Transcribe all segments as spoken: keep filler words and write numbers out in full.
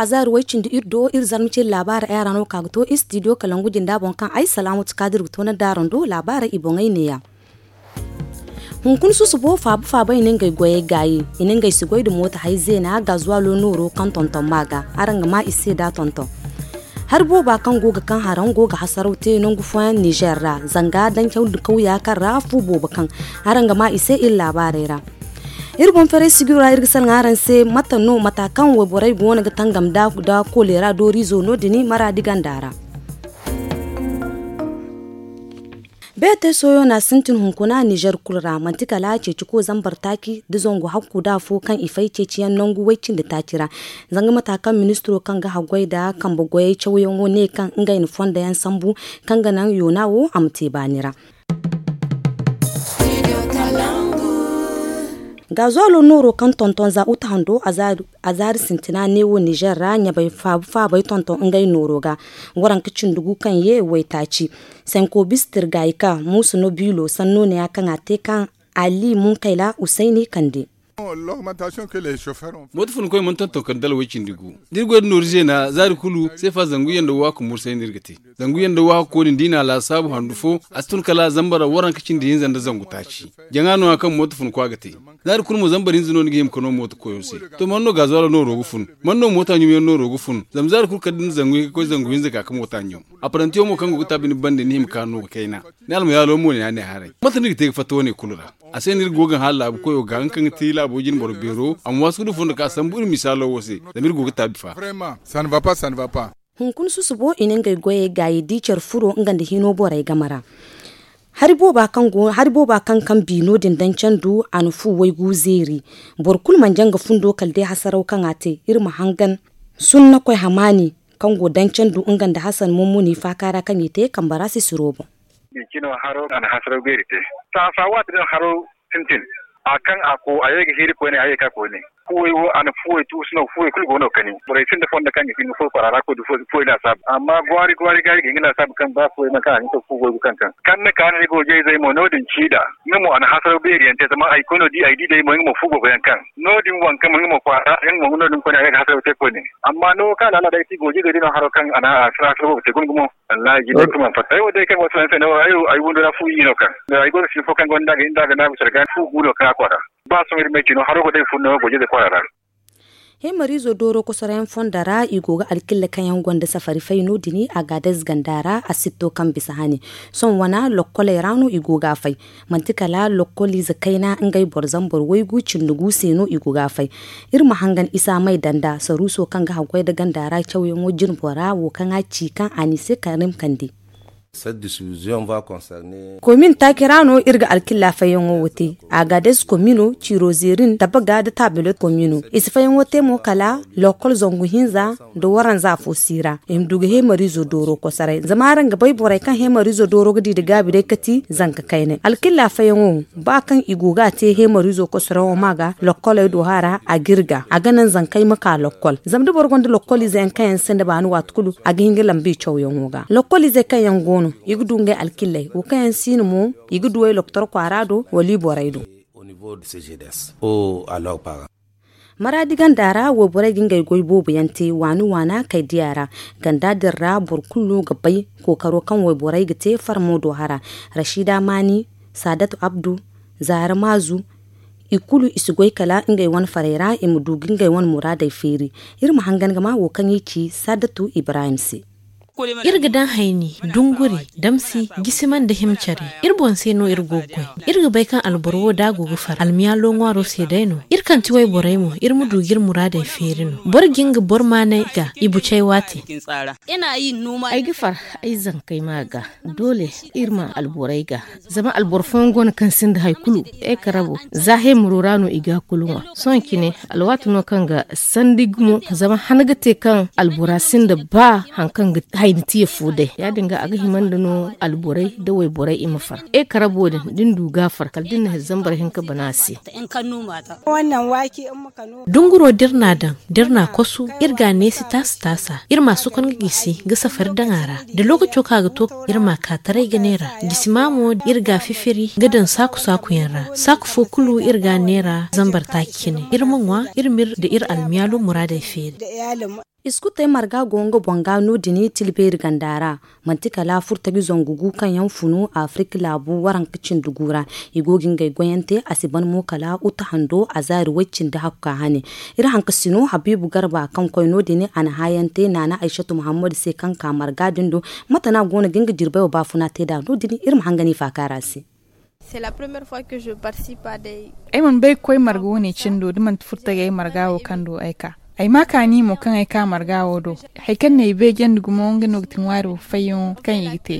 Azaari way-cindi iri do iri zarma cindi laabaarey a ra no ka ga to istidiyo kalangu jinda boŋ kaŋ ay salaamatu kaadir ga to ni daaro nda laabaarey i boŋey neeya. Hunkuna susubo faaba faaba i na ngey goyey gaayi, i na ngey si goy nda mooto hay zeena gaazuwaalo nooro kaŋ tonton ma ga. Araŋ ga ma i se da tonton. Hari booba kaŋ go ga kaŋ haraŋ go ga hasaraw te nangu fooyaŋ nizer ra zanga dancaw nda kawya kaŋ ra fu boobo kaŋ. Araŋ ga ma i se iri laabaarey ra. Iri boŋ ferey sijiro ra iri ga salaŋ araŋ se mate no mata kaŋ wayborey go no ga tangam nda koleera dooriizo no- din maraadi ganda ra. Beetey sohõ no a sintin hunkuna nizer kulu ra manti kala ceeciko zambar taaci nda zangu hakku nda afo kaŋ i fay ceeciyaŋ nangu way-cindi taaci ra. Zanga mata kaŋ ministiro kaŋ ga haggoy nda kambe goyey cawyaŋo ne kaŋ ngey na fondo yaŋ sambu kaŋ ga naŋ yoona wo a ma te baani ra. Gaazuwaalo nooro kaŋ tonton za uta hando azaari sintina neewo nizer ra ɲabay faabu faabey tonton ngey nooro ga. Waranka cindi gu kaŋ ye waytaaci senko bisa tirgayka muusa no biilo sanno neeya kaŋ a te kaŋ ali munkayla usayni kande. Mooto funkoy mana tonton kala dala way-cindi gu da iri goy nda nooru zeena zaari kulu seefa zangu yaŋ nda waahakku mursay no iri ga te. Zangu yaŋ nda waahakku kooni nda i na a laasaabu handu fo a si tun kala zambar waranka cindi hinza nda zangu taaci. Jaŋa no- ya kaŋ mooto funkwa ga te. Zaari kulu mo zambar hinza no ni ga hima ka no mooto koyo se. To man no gaazuwaalo nooro ga fun? Man no moota ɲumyaŋ nooro ga fun? Zama zaari kulu kala da ni zangu hinka ka koy zangu hinza ka ka moota ɲum. Aparrantiyo mo kaŋ go ga taabi ni bande ni hima ka no ga kayna. Ni almayaalo mo ne a ne haray mate no iri ga te ga fatta wane kulu ra? A se no iri go ga hala laabu koyo ga nga kaŋ ga ti laabo jine boro beero a ma waasu ga du fondo ka sambu iri misaalo wo se. Zama iri go ga taabi fa. Hunkuna susubo i na ngey goyey gaayi da i care furo nga nda hino borey game ra. Hari booba kaŋ kaŋ bi no- din daŋ candu a na fu waygu zeeri. Boro kulu mana jaŋ ga fundo kala day hasaraw kaŋ a te iri ma hangan. Sunnakoy hamaani kaŋ go daŋ candu nga nda hasan mummuni faaka ra kaŋ i te kambe ra sisiro boŋ. Bincino haro a na hasaraw beeri te. Saasa waati din haro sintin. A kaŋ a ko a ye ga hiiri koyne a ye ga ka koyne. Fuwey wo a na fuwey tuusu no fuwey kulu go no kani borey sinda fondo kaŋ ga hin ga furo kwaara ra koy da fuwey laasaabu amma gwaari gwaari ga ay ga hin ga laasaabu kaŋ ba fuwey nangu kaŋ a ga hin ga to fu goy ga kaŋ kaŋ kaŋ ni ka ni goojey zey mo no- din ciida. Nga mo a na hasaraw beeri yaŋ te zama ay koy no di ay di day mo nga mo fu boobo yaŋ kaŋ no- din waŋ kaŋ mo nga mo kwaara yaŋ mo nga no- din koyne a ye ga hasaraw te koyne. Amma no wo kaŋ a laala day ti goojey zey day no haro kaŋ a na hasaraw boobo te guna gumo. Wallahi jinde kulu mana fatta ay wo day kaŋ wasu yaŋ se no ay wo ay windo ra fu i no kaŋ ay go ga sin fo kaŋ gonda ga hin da ga naagu care ga fu gu no kaŋ a kwaara. Ba sohõ iri ma ay ci no haro go day fun no goojey zey kwaara ra. Heemariizo dooro kosoroyaŋ fondo ra i go ga alkilla kaŋ yaŋ gonda safari fay no- din agaadez ganda ra a sitto kaŋ bisa hani. Sohõ wana lokkoley ra no i go ga a fay. Manti kala lokkoliize kayna ngey boro zambar waygu cindi gu se no i go ga a fay. Iri ma hangan isa may danda saruuso kaŋ ga haggoy nda ganda ra cawyaŋo jinbo ra wo kaŋ a ci kaŋ a n'i se karim kande. Komin taaci ra no iri ga alkilla fayyaŋo wo te. Agaades komino ciiro zeerin tabaga nda taabilot komino i si fayyaŋo te mo kala lokkol zangu hinza nda waranza fo si ra i ma du ga heemariizo dooro kosoray zama araŋ ga bay borey kaŋ heemariizo dooro ga di nda gaabi day kati zanka kaynay alkilla fayyaŋo. Ba kaŋ i go ga a te heemariizo kosoraŋo ma ga lokkoley do hara a ga iri ga a ga naŋ zankey ma ka lokkol zama da boro gonda lokkoliize yaŋ kaŋ yaŋ sinda baani waati kulu a ga hin ga lamba i cawyaŋo ga lokkoliizey kaŋ yaŋ go no i ga du ngey alkilley wo kaŋ yaŋ si no mo i ga duw'ey loktor kwaara do wala i borey do. Maraadi ganda ra wayborey ga ngey goy boobo yaŋ te waani waana kay diya ra. Ganda din ra boro kulu no ga bay kookaro kaŋ wayborey ga te farmo do hara. Rasiida maani, saadatu abdu, zaara maazu, i kulu i si goy kala ngey wane farey ra i ma du ga ngey wane muraadey feeri. Iri ma hangan ga ma wo kaŋ i ci saadatu ibrahim se. Iri ga daŋ hayni, dunguri, damsi, gisima nda hima care. Iri boŋ se no iri go ga goy. Iri ga bay kaŋ alboro wo da a go ga far almiyaalo ŋwaaro se day no. Iri kaŋ ti wayborey mo iri ma du ga iri muraadey feeri no boro ga nga boro maanay ga i bucay waate. Ay ga far ay zankey ma ga. Doole iri ma alborey ga. Zama alboro fooyaŋ go no kaŋ sinda hari kulu. Ay karabo za heemaro ra no i ga kulu ŋwa. Sohõ cine alwaati no kaŋ ga sandi gumo zama han ga te kaŋ albora sinda ba hari kaŋ ga hayni tiya fo day ya- din ga a ga hima nda no alborey nda wayborey i ma far. Ay karabo din da ni du ga a far kala da ni na hari zambar hinka bana a se. Dunguro da iri n'a daŋ da iri n'a kosu iri ga a neesi taasa taasa iri m'a sokon ga gisi ga safari daŋ a ra. Da lookaco kaŋ a ga to iri m'a ka taray ga neera. Gisi ma mo iri ga a fifiri ga daŋ saaku saaku yaŋ ra. Saaku fo kulu iri ga a neera zambar taaci cine iri ma ŋwa iri m'iri nda iri almiyaalo muraadey feeri. Iskutey marga go nga boŋ ga no- din tilbeeri ganda ra. Manti kala furtaji zangu gu kaŋ yaŋ funu afirik laabu waranka cindi gu ra. I go ga ngey goyante a si ban mo kala uta hando a zaari way cindi hakka hane. Iri hankasino habiibu garba kaŋ koy no- din a na hayante naana aysatu muhammadu se kaŋ ka marga din do. Mate no a go no ga nga jirbay wo baafuna te nd'a no- din iri ma hangan i faakaara se. Ay mana bay ga koy marga wane cindo da manti furtagay marga wo kaŋ do ay ka. Ay ma kaani mo kaŋ ay ka marga wo do. Hari kaŋ no ay beejandi gumo nga no ga ti ŋwaaro fayyaŋo kaŋ i ga te.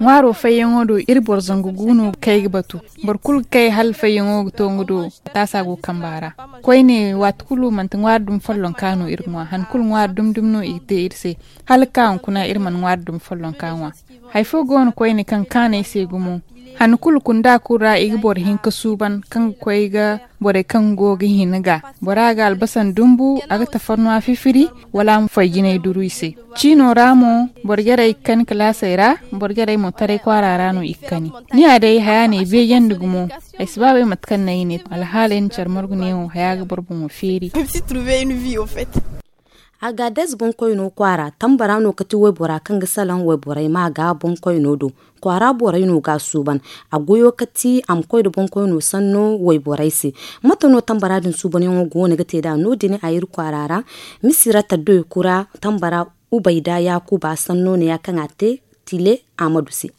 Ŋwaaro fayyaŋo do iri boro zangu gu no kaŋ ay ga batu. Boro kulu ga kay hala fayyaŋo ga to nga do. Taasa go kamba ra. Koyne waati kulu manti ŋwaari dumi follonka no iri ŋwa han kulu ŋwaari dumi dumi no i ga te iri se. Hala ga ka hunkuna iri mana ŋwaari dumi follonka ŋwa. Hari fo go no koyne kaŋ kaanay se gumo. Han kulu kunda kulu ra i ga boro hinka suuban kaŋ ga koy ga borey kaŋ go ga hin ga bora ga albasan dumbu a ga tafarnuwa fifiri. Wala a ma foy jinay duru i se. Ciino ra mo boro jarey ga kani kalaasey ra. Boro jarey mo taray kwaara ra no i ga kani. Ni ya day haya no ay beejandi gumo. Ay si ba bay mate kaŋ no ay ne alhaaley na care margu neewo haya ga boro boŋo feeri. Agades boŋkoyno kwaara tambara no kati waybora kaŋ ga salaŋ wayborey ma ga boŋkoyno do. Kwaara borey no ga a suuban. A goyo kati a ma koy nda boŋkoyno sanno wayborey se. Mate no tambara din suubanyaŋo go no ga te nd'a no- din a iri kwaara ra. Misira taddoy kura tambara ubayda yaakuba sanno ne ya kaŋ a te tile ahmadu se.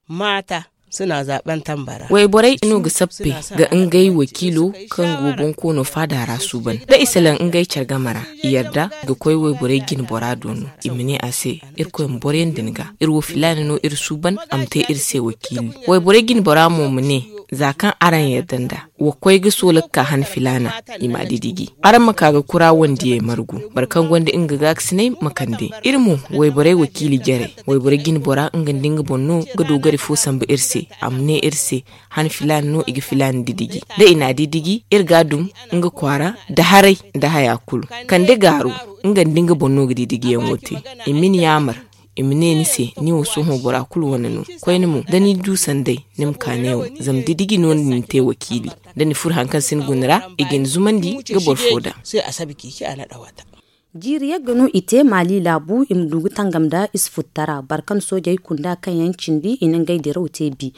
Maata suna zaben tambara. Wayborey no ga sappe ga ngey wakiilo kaŋ go bonkoono faada ra suuban da i salaŋ ngey care game ra. I yarda ga koy wayborey jine bora do no. I ma ne a se, irkoy ma boroyaŋ din ga iri wo filaana no iri suuban a ma te iri se wakiili. Wayborey jine bora mo ma ne, za kaŋ araŋ yarda nd'a wa koy ga soola ga ka han filaana. I m'a didiji araŋ ma ka ga kura wandiyey margu. Boro kaŋ gonda nga gaakasiney ma kande. Iri mo wayborey wakiili jarey. Wayborey jine bora nga nda nga boŋ no ga doogari fo sambu iri se. A ma ne iri se, han filaana no i ga filaana didiji da i n'a didiji iri ga a dum. Nga kwaara nda haray nda haya kulu kande gaaru. Nga nda nga boŋ no ga didijiyaŋo te. I ma ni yaamar. I ma ne ni se ni wo sohõ bora kulu wane no. Koyne mo da ni du sanday ni ma ka neewo. Zama didiji no ni na ni te wakiili. Da ni furo hari kaŋ si ni guna ra i ga ni zumandi ga boro fo daŋ. Jiiri yagga no i te maali laabu i ma du ga tangam nda isfuttara barkan soojey kunda kaŋ yaŋ cindi i na ngey diraw te bi.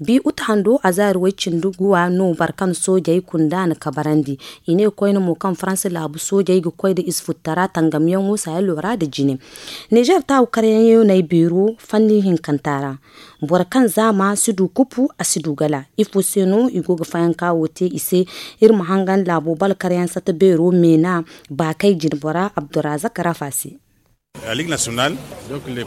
Bi uta hando a zaari way cindi guwa no barkan soojey kunda na kabarandi. I ne koyne mo kaŋ faransa laabu soojey ga koy nda isfuttara tangamyaŋo saayalo ra nda jine. Nizer taawu karyaŋ yaŋ no ay beero fanni hinkanta ra. Boro kaŋ zaama si du kupu a si du gala. Ifo se no i go ga fayanka wo te i se? Iri ma hangan laabo balkaryaŋ sata beero meena baakay jinbora abdurazak rafa se.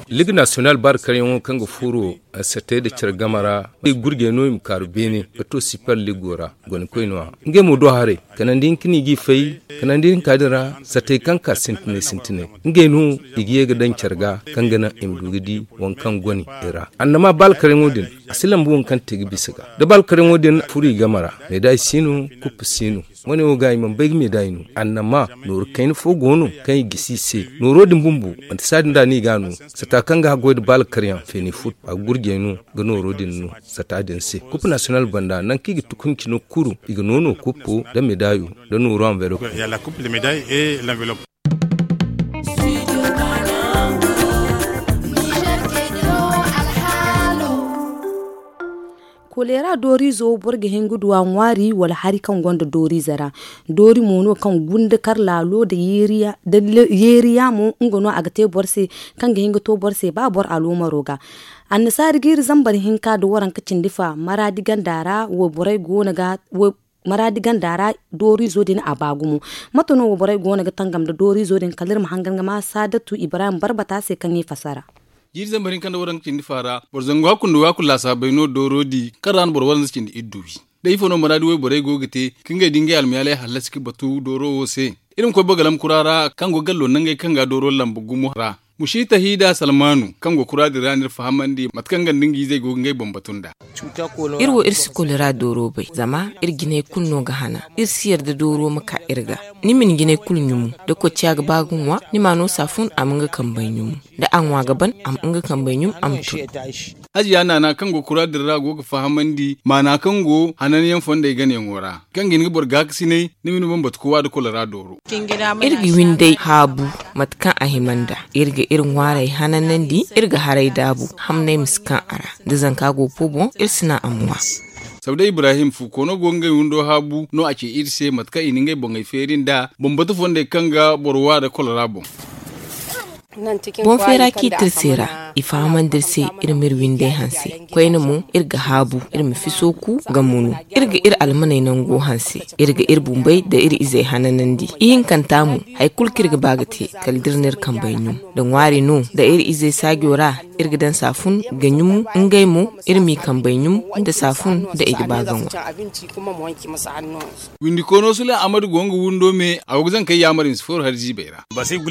Ligue nationale baari karyaŋo kaŋ ga furo satey nda care game ra i gurjey no i ma kaaru beene ga to super ligo ra. Gonikoy no a ngey mo do haray kanandi hinka no i g'i fay. Kanandi hinka din ra satey kaŋ ka sintinay sintinay ngey no i ga ye ga daŋ care ga kaŋ ga naŋ i ma du ga di waŋ kaŋ goni i ra. Annama baari karyaŋo din a si lambu waŋ kaŋ te ga bisa ga da baari karyaŋo din furo i game ra. Meeday si no kuppu si no. Wane wo ga i mana bay ga meeday no annama nooru kayna fo go no kaŋ i gisi i se. Nooro din bumbo manti saadin da no i ga a no. Sata kaŋ ga haggoy nda baala karyaŋ feeni fut a ga gurjey no ga nooro din no. Sata din se kuppu nasiyonal banda nangu kaŋ i ga tukuncino kuru i ga noono kuppo nda meedayo nda nooro anvelop. Koleera dooriizo boro ga hin ga du a ŋwaari wala hari kaŋ gonda dooriize ra. Doori mo no kaŋ gunda kar laalo nda yeeriya mo nga no a ga te boro se kaŋ ga hin ga to boro se ba boro aloomaro ga. Annasaari jiiri zambar hinka nda waranka cindi fa maraadi ganda ra wayborey go no ga maraadi ganda ra. Dooriizo din a ba gumo. Mate no wayborey go no ga tangam nda dooriizo din kala iri ma hangan ga ma saadatu ibrahim barbata se kaŋ i fasara. Jiiri zambar hinka nda waranka cindi fa ra boro zangu hakku nda waakul laasaabey no dooro di kaŋ ra no boro waranza cindi iddu wi. Day ifo no maraadi wayborey go ga te ka ngey da ngey almayaaley hallasi ga batu dooro wo se. Iri ma koy bagalam kura ra kaŋ go gallo nangey kaŋ ga dooro lambu gumo ra. Mushita hida salmanu kaŋ go kura din ra no iri fahamandi mate kaŋ nga nda nga izey go ga ngey boŋ batu nd'a. Iri wo iri si kolera dooro bay zama iri jinay kulu no ga hana. Iri si yarda dooro ma ka iri ga. Ni ma ni jinay kulu ɲumu da kocciya ga ba ga ŋwa ni ma no saafun a ma nga kambey ɲumu. Da a ŋwa ga ban a ma nga kambey ɲum a ma tun. Hajiya naana kaŋ go kura din ra go ga fahamandi maana kaŋ go hananyaŋ fondey ganayaŋo ra, kaŋ ga hin ga boro gaakasinay ni ma ni bambata kowa nda kolora dooro. Iri ga winday haabu mate kaŋ a hima nd'a. Iri ga iri ŋwaarey hananandi. Iri ga haray daabu hamnay ma si kaŋ a ra. Da zanka go po boŋ iri si naŋ a ma ŋwa. Sabda ibrahim fu koono go ga ngey windo haabu no a ce iri se mate kaŋ i na ngey boŋey feeri nd'a bambata fondey kaŋ ga boro wa nda kolora boŋ. Boŋ feera kaŋ i te iri se ra i fahamandi iri se. Iri ma iri windey hanse koyne mo iri ga haabu iri ma fiso ku ga munu. Iri ga iri almaney nango hanse. Iri ga iri bumbey nda iri izey hananandi ihinkanta mo. Hari kulu kaŋ iri ga ba ga te kala da iri na iri kambey ɲum nda ŋwaari no nda iri izey saajo ra. Iri ga daŋ saafun ga ɲum ngey mo. Iri m'i kambey ɲum nda saafun nda i ga ba ga ŋwa. Windikoono sule ahmadu go nga windo me a go ga zankey yaamar i ma si fooru hari ziibey ra.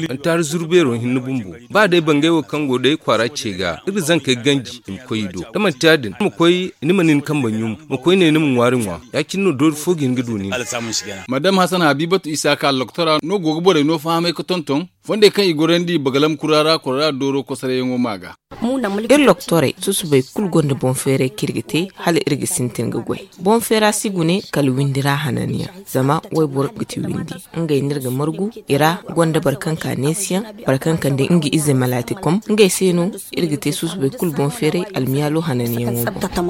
Antaari zuru beero hinne bumbo ba day bangay wo kaŋ go day kwaara ce ga iri ga zankey ganji i ma koy i do da manti ya- din ni ma koy ni ma ni ni kambe ɲum ma koy ne ni ma ŋwaari ŋwa. Ya- cine no doori fo ga hin ga du nin. Madam hasan habibatu isa ka alloktora no go ga borey no fahamay ga tonton fondey kaŋ i gorandi bagalam kura ra kora ra dooro kosarayyaŋo ma ga. Iri loktorey susubay kulu gonda boŋ feeray kaŋ iri ga te hala iri ga sintin ga goy. Boŋ feera si gune kala windi ra hananyaŋ. Zama wayboro ga ti windi ngey no iri ga margu i ra. Gonda boro kaŋ ka neesiyaŋ boro kaŋ kande nga ize malaati kom ngey se no. Iri ga te susubay kulu boŋ feeray almiyaalo hananyaŋo boŋ.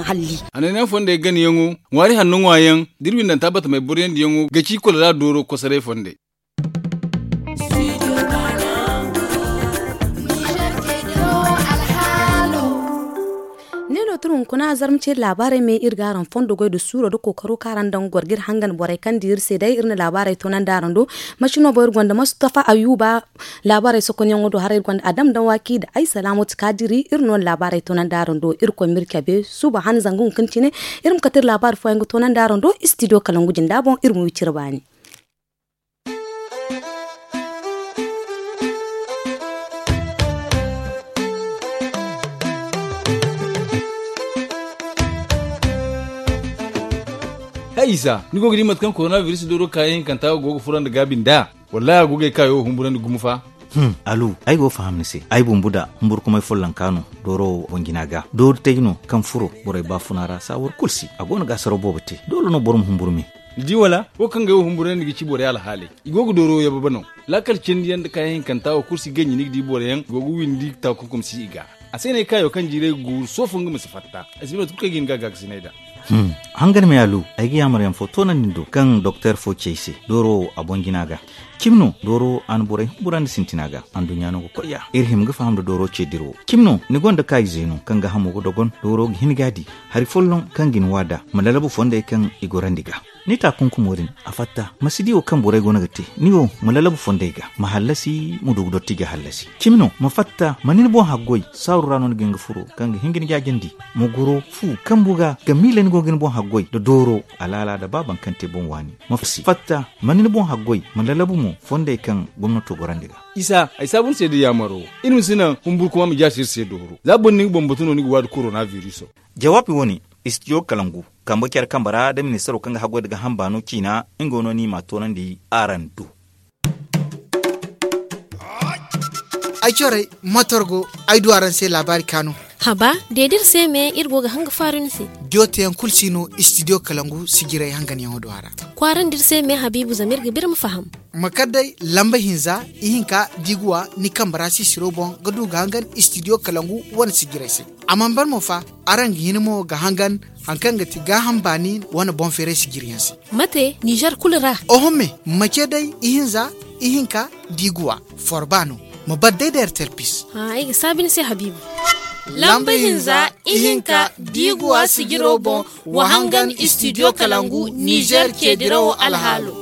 Hananyaŋ fondey ganayaŋo ŋwaari hanno ŋwaayaŋ da iri windanta batamey boroyandiyaŋo ga ci kula ra dooro kosoray fondey. Ni no tun hunkuna zarma ceeri laabaarey me iri ga araŋ fondo goy nda suuro nda kookaro kaŋ araŋ daŋ goro ga iri hangan borey kaŋ di iri se day iri na laabaarey toonandi araŋ do. Masino boŋ iri gonda mustafa ayuba. Laabaarey sokonyaŋo do haray iri gonda adam daŋ waaki nda ay salaamatu kaadiri iri no na laabaarey toonandi araŋ do. Iri koy ma iri cabe suba han zanga hunkuna cine. Iri ma kate iri laabaari fooyaŋ ga toonandi araŋ do istidiyo kalangu jinda boŋ iri ma wi cire baani. Hay isa ni go ga di mate kaŋ korona biris dooro kaayaŋ hinkanta go ga furandi gaabi nd'a? Wallahi a go ga ay kaayo wo humburandi gumo fa. Alu ay go ga faham ni se ay bumbu da humburkumay follonka no. Dooro wo boŋ jina ga doori tay no kaŋ furo borey baafuna ra saawar kulu si a go no ga asaraw boobo te. Doole no boro ma humburu me. Ni di wala wo kaŋ ga ay wo humburandi ga ci borey alhaaley. I go ga dooro wo yababa no. Laakal cindi yaŋ nda kaayaŋ hinkanta wo kulu si ganji ni ga di boro yaŋ i go ga windi taakunkum si i ga. A se no ay kaayo kaŋ jiiray ga guuru soofo nga ma si fatta. Ay si bay mate kulu kaŋ ay ga hin ga a gaakasinay nd'a. Hangan me alu ay ga yaamar yaŋ fo toonandi ni do kaŋ doktor fo ci ay se. Dooro wo a boŋ jina ga. Cimi no dooro a na borey humburandi sintina ga. Anduɲɲa no ga koy ya iri hima ga faham nda dooro ce dira wo cimi no ni gonda kaayize no kaŋ ga hamo ga dogon dooro ga hin ga a di. Hari folloŋ kaŋ ga ni waada ma lalabu fondey kaŋ i gorandi ga. Ni taakunkumo din a fatta ma si di wo kaŋ borey go no ga te. Ni wo ma lalabu fondey ga ma hallasi ma du ga dotti ga hallasi. Cimi no ma fatta ma ni ni boŋ haggoy saaru ra no ni ga hin ga furo kaŋ ga hin ga ni jaajandi. Ma goro fu kambu ga ga miila ni go ga ni boŋ haggoy nda dooro alaala nda ba baŋ kaŋ te boŋ waani. Ma fatta ma ni ni boŋ haggoy ma lalabu mo fondey kaŋ gomnato gorandi ga. Isa ay saabu ni se da yaamaro iri ma si naŋ humburkuma ma jaasi iri se dooro za boro ni ga bambatu no ni ga waadi korona biriso. Jawaabi wo- ne istidiyo kalangu kambe care kambe ra nda ministaro kaŋ ga haggoy nda ga hamba no ciina. Nga wo no ni ma a toonandi araŋ do. Ay corey matorgo ay du araŋ se laabaari kaanu. Haba deedi iri se me iri go ga hanga faaru ni se. Diyo teyaŋ kulu si no istidiyo kalangu sijiray hanganyaŋo do a ra. Kwaarandi iri se me habiibu zama iri ga biri ma faham. Ma kar day lamba hinza ihinka diiguwa ni kambe ra sisiro boŋ ga du ga hangan istidiyo kalangu wane sijiray se. A mana ban mo fa araŋ ga hin mo ga hangan hari kaŋ ga ti gaaham baani wane boŋ feeray sijiriyaŋ se. Mate nizer kulu ra? Oho me mace day ihinza ihinka diiguwa forba no. Ma bar day da ertel pis. Ay ga saabi ni se habiibu. Lamba hinza ihinka diiguwa sijiro boŋ wa hangan istidiyo kalangu nizer ceedirawo alhaalo.